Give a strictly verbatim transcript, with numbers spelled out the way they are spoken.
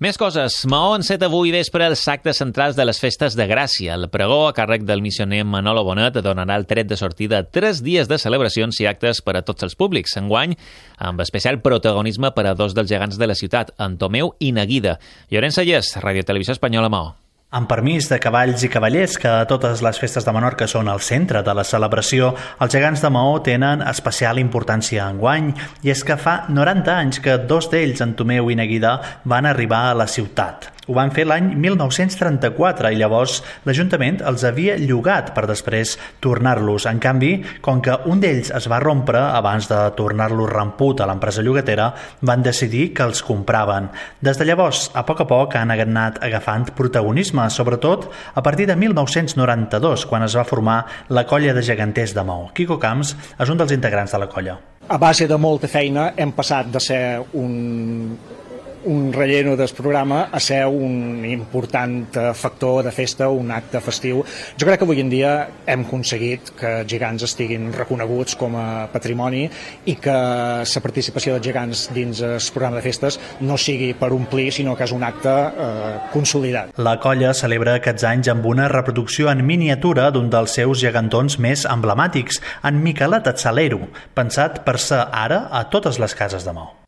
Més coses. Maó enceta avui vespre els actes centrals de les festes de Gràcia. El pregó, a càrrec del missioner Manolo Bonet, donarà el tret de sortida a tres dies de celebracions i actes per a tots els públics. Enguany, amb especial protagonisme per a dos dels gegants de la ciutat, Antomeu i Neguida. Llorenç Sallés, Ràdio Televisió Espanyola, Maó. Amb permís de cavalls i cavallers, que a totes les festes de Menorca són el centre de la celebració, els gegants de Maó tenen especial importància enguany, i és que fa noranta anys que dos d'ells, Antomeu i Neguida, van arribar a la ciutat. Ho van fer l'any mil nou-cents trenta-quatre i llavors l'Ajuntament els havia llogat per després tornar-los. En canvi, com que un d'ells es va rompre abans de tornar-los ramput a l'empresa llogatera, van decidir que els compraven. Des de llavors, a poc a poc han anat agafant protagonisme, sobretot a partir de mil nou-cents noranta-dos, quan es va formar la colla de geganters de Maó. Quico Camps és un dels integrants de la colla. A base de molta feina hem passat de ser un... un relleno del programa a ser un important factor de festa, un acte festiu. Jo crec que avui en dia hem aconseguit que els gegants estiguin reconeguts com a patrimoni i que la participació dels gegants dins el programa de festes no sigui per omplir, sinó que és un acte eh, consolidat. La colla celebra aquests anys amb una reproducció en miniatura d'un dels seus gegantons més emblemàtics, en Miquelet Atzalero, pensat per ser ara a totes les cases de Maó.